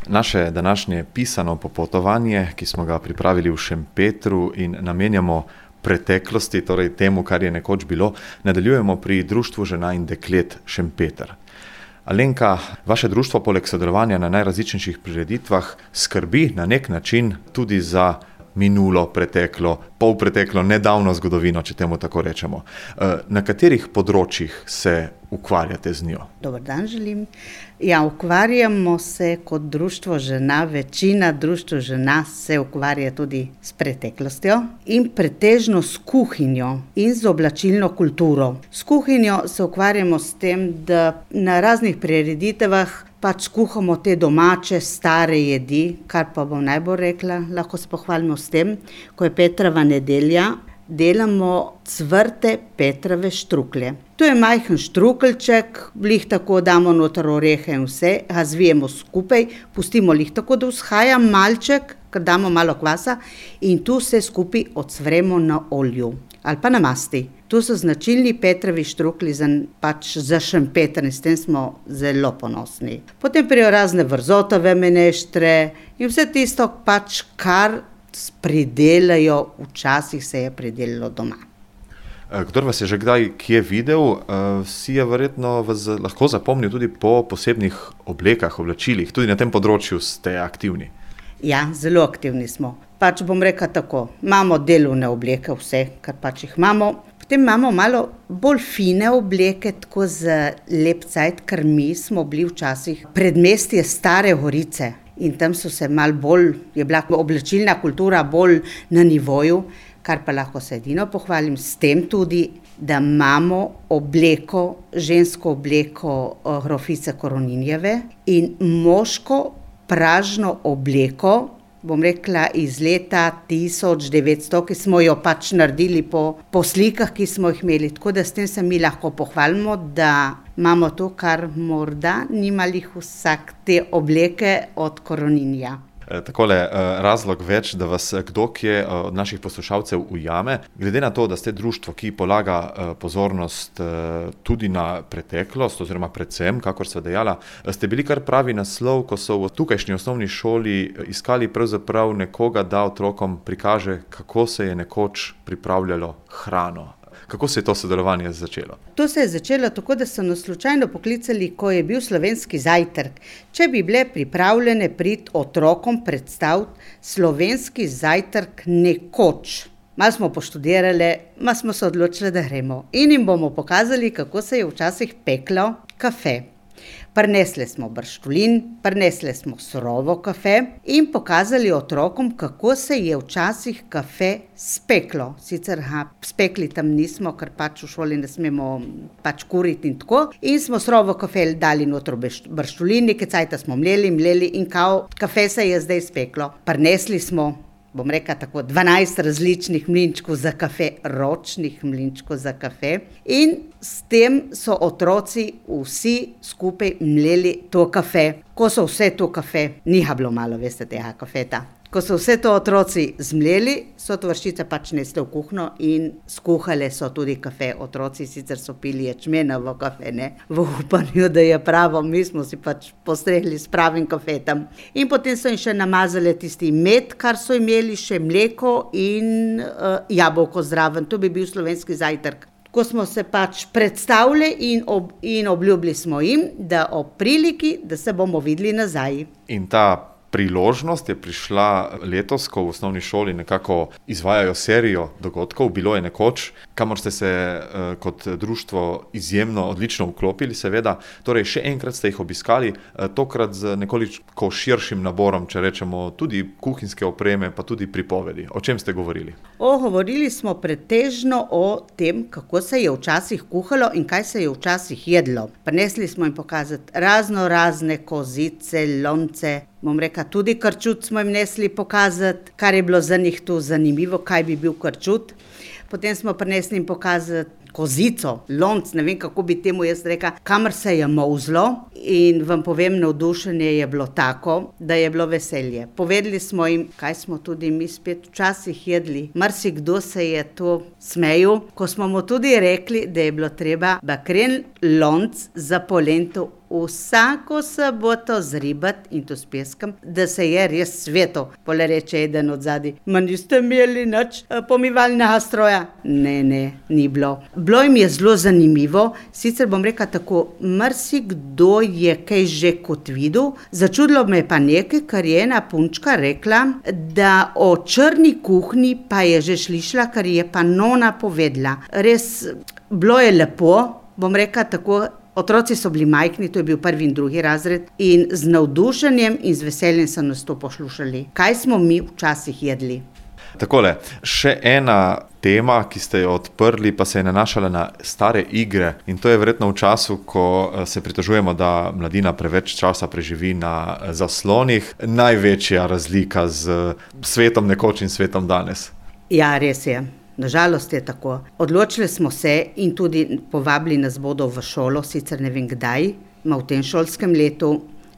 naše današnje pisano popotovanje, ki smo ga pripravili v Šempetru in namenjamo preteklosti, torej temu, kar je nekoč bilo, nadaljujemo pri Društvu žena in deklet Šempeter. Alenka, vaše društvo poleg sodelovanja na najrazličnejših prireditvah skrbi na nek način tudi za minulo, preteklo, polpreteklo, nedavno zgodovino, če temu tako rečemo. Na katerih področjih se ukvarjate z njo? Dober dan želim. Ukvarjamo se kot društvo žena, večina društv žena se ukvarja tudi s preteklostjo in pretežno s kuhinjo in z oblačilno kulturo. S kuhinjo se ukvarjamo s tem, da na raznih prireditvah kuhamo te domače, stare jedi, kar pa bom najbolj rekla, lahko se pohvalimo s tem, ko je Petrova nedelja, delamo cvrte Petrove štruklje. To je majhen štrukeljček, lih tako damo noter orehe in vse, ga zvijemo skupaj, pustimo lih tako, da vzhaja malček, ker damo malo kvasa in tu vse skupaj ocvremo na olju ali pa na masti. To so značilni Petrovi štruklji za Šempeter in s tem smo zelo ponosni. Potem prijo razne vrzotove meneštre in vse tisto kar pridelajo, včasih se je pridelalo doma. Kdor vas je že kdaj kje videl, si je verjetno vas lahko zapomnil tudi po posebnih oblekah, oblačilih. Tudi na tem področju ste aktivni. Ja, zelo aktivni smo. Bom rekla tako, imamo delovne obleke, vse, kar jih imamo. Potem imamo malo bolj fine obleke, tako za lep cajt, ker mi smo bili včasih predmestje Stare Gorice. In tam so se malo bolj, je bila oblačilna kultura bolj na nivoju, kar pa lahko se edino pohvalim s tem tudi, da imamo obleko, žensko obleko grofice Koroninjeve in moško pražno obleko, bom rekla iz leta 1900, ki smo jo naredili po slikah, ki smo jih imeli. Tako da s tem se mi lahko pohvalimo, da imamo to, kar morda nimali vsak te obleke od Koroninja. Takole, razlog več, da vas kdo kje od naših poslušalcev ujame. Glede na to, da ste društvo, ki polaga pozornost tudi na preteklost, oziroma predvsem, kakor sva dejala, ste bili kar pravi naslov, ko so v tukajšnji osnovni šoli iskali pravzaprav nekoga, da otrokom prikaže, kako se je nekoč pripravljalo hrano. Kako se je to sodelovanje začelo? To se je začelo tako, da so nas slučajno poklicali, ko je bil slovenski zajtrk. Če bi bile pripravljene priti otrokom predstaviti slovenski zajtrk nekoč. Malo smo poštudirali, malo smo se odločili, da gremo. In jim bomo pokazali, kako se je včasih peklo kafe. Prinesli smo brščulin, prinesli smo surovo kafe in pokazali otrokom, kako se je včasih kafe speklo. Sicer spekli tam nismo, ker v šoli ne smemo kuriti in tako. In smo surovo kafe dali noter brščulin, nekaj cajta smo mleli in kafe se je zdaj speklo. Prinesli smo, bom rekla tako, 12 različnih mlinčkov za kafe, ročnih mlinčkov za kafe. In s tem so otroci vsi skupaj mleli to kafe. Ko so vse to kafe, niha bilo malo, veste, tega kafeta. Ko so vse to otroci zmleli, so tovarišice nesle v kuhno in skuhale so tudi kafe. Otroci sicer so pili ječmenovo kafe, ne, v upanju, da je pravo, mi smo si postregli s pravim kafetom. In potem so jim še namazali tisti med, kar so imeli, še mleko in jabolko zraven. To bi bil slovenski zajtrk. Ko smo se predstavili in obljubili smo jim, da ob priliki, da se bomo videli nazaj. In ta priložnost je prišla letos, ko v osnovni šoli nekako izvajajo serijo dogodkov. Bilo je nekoč, kamor ste se kot društvo izjemno odlično vklopili, seveda. Torej, še enkrat ste jih obiskali, tokrat z nekoliko širšim naborom, če rečemo, tudi kuhinjske opreme, pa tudi pripovedi. O čem ste govorili? Govorili smo pretežno o tem, kako se je včasih kuhalo in kaj se je včasih jedlo. Prinesli smo jim pokazati razne kozice, lonce, bom rekla, tudi krčut smo jim nesli pokazati, kar je bilo za njih tu zanimivo, kaj bi bil krčut. Potem smo prinesli jim pokazati kozico, lonc, ne vem, kako bi temu jaz rekla, kamor se je molzlo. In vam povem, navdušenje je bilo tako, da je bilo veselje. Povedali smo jim, kaj smo tudi mi spet včasih jedli. Marsikdo se je to smejal, ko smo mu tudi rekli, da je bilo treba bakren lonc za polento vsako soboto zribati in to s peskom, da se je res sveto. Pole reče eden od zadaj, ma niste imeli nič pomivalnega stroja? Ne, ni bilo. Bilo jim je zelo zanimivo, sicer bom rekla tako, marsikdo je kaj že kot videl, začudilo me pa nekaj, kar je ena punčka rekla, da o črni kuhinji pa je že slišala, kar je pa nona povedala. Res, bilo je lepo, bom rekla tako, otroci so bili majhni, to je bil 1. in 2. razred in z navdušenjem in z veseljem so nas to poslušali. Kaj smo mi včasih jedli? Takole, še ena tema, ki ste jo odprli, pa se je nanašala na stare igre in to je verjetno v času, ko se pritožujemo, da mladina preveč časa preživi na zaslonih. Največja razlika z svetom nekoč in svetom danes. Ja, res je. Nažalost je tako. Odločili smo se in tudi povabili nas bodo v šolo, sicer ne vem kdaj, v tem šolskem letu,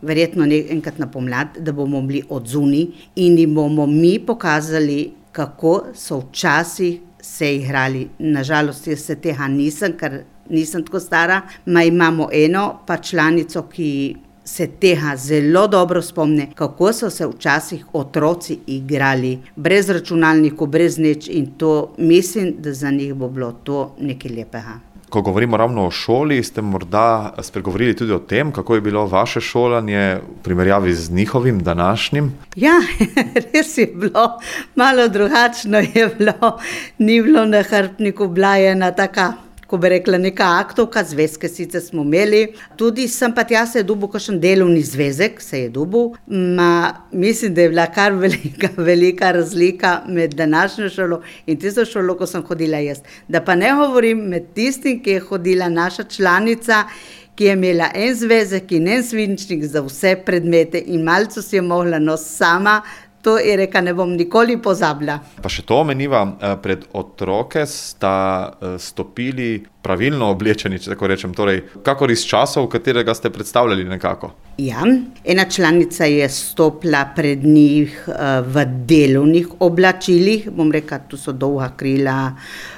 verjetno enkrat na pomlad, da bomo bili odzuni in jim bomo mi pokazali, kako so včasih se igrali. Nažalost, jaz se tega nisem, ker nisem tako stara. Imamo eno pa članico, ki se tega zelo dobro spomne, kako so se včasih otroci igrali, brez računalnikov, brez nič in to mislim, da za njih bo bilo to nekaj lepega. Ko govorimo ravno o šoli, ste morda spregovorili tudi o tem, kako je bilo vaše šolanje v primerjavi z njihovim današnjim? Ja, res je bilo, malo drugačno je bilo, ni bilo na hrbtniku, bila je ena taka, ko bi rekla, neka aktovka, zvezke sicer smo imeli. Tudi sem pa tja se je dobil kakšen delovni zvezek, se je dobil. Mislim, da je bila kar velika razlika med današnjo šolo in tisto šolo, ko sem hodila jaz. Da pa ne govorim med tistim, ki je hodila naša članica, ki je imela en zvezek in en svinčnik za vse predmete in malce si je mogla sama. To je reka, ne bom nikoli pozabila. Pa še to omeniva, pred otroke sta stopili pravilno oblečeni, če tako rečem, torej kakor iz časov, katerega ste predstavljali nekako. Ja, ena članica je stopila pred njih v delovnih oblačilih, bom rekla, tu so dolga krila,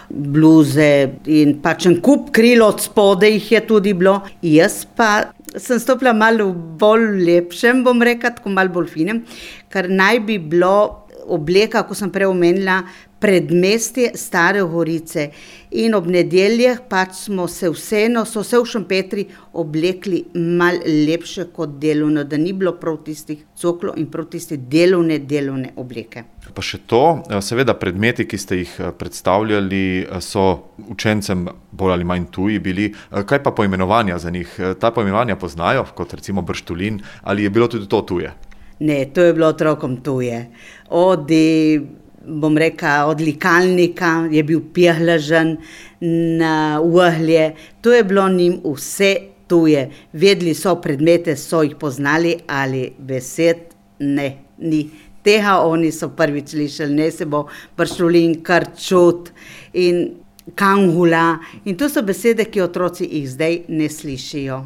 bluze in pač en kup kril od spodaj jih je tudi bilo. Jaz pa sem stopila malo bolj lepšem, bom rekla, tako malo bolj finem, ker naj bi bilo obleka, ko sem prej omenila, predmestje Stare Gorice in ob nedeljah pač so se v Šempetri oblekli malo lepše kot delovno, da ni bilo prav tistih coklo in prav tiste delovne obleke. Pa še to, seveda predmeti, ki ste jih predstavljali, so učencem bolj ali manj tuji bili. Kaj pa poimenovanja za njih? Ta poimenovanja poznajo, kot recimo brštulin, ali je bilo tudi to tuje? Ne, to je bilo otrokom tuje. Bom rekla, od likalnika je bil pihlažen na uhlje. To je bilo njim vse tuje. Vedeli so predmete, so jih poznali, ali besed ne, ni. Tega oni so prvič slišali, ne se bo brštulin, krčut in kangula. In to so besede, ki otroci jih zdaj ne slišijo.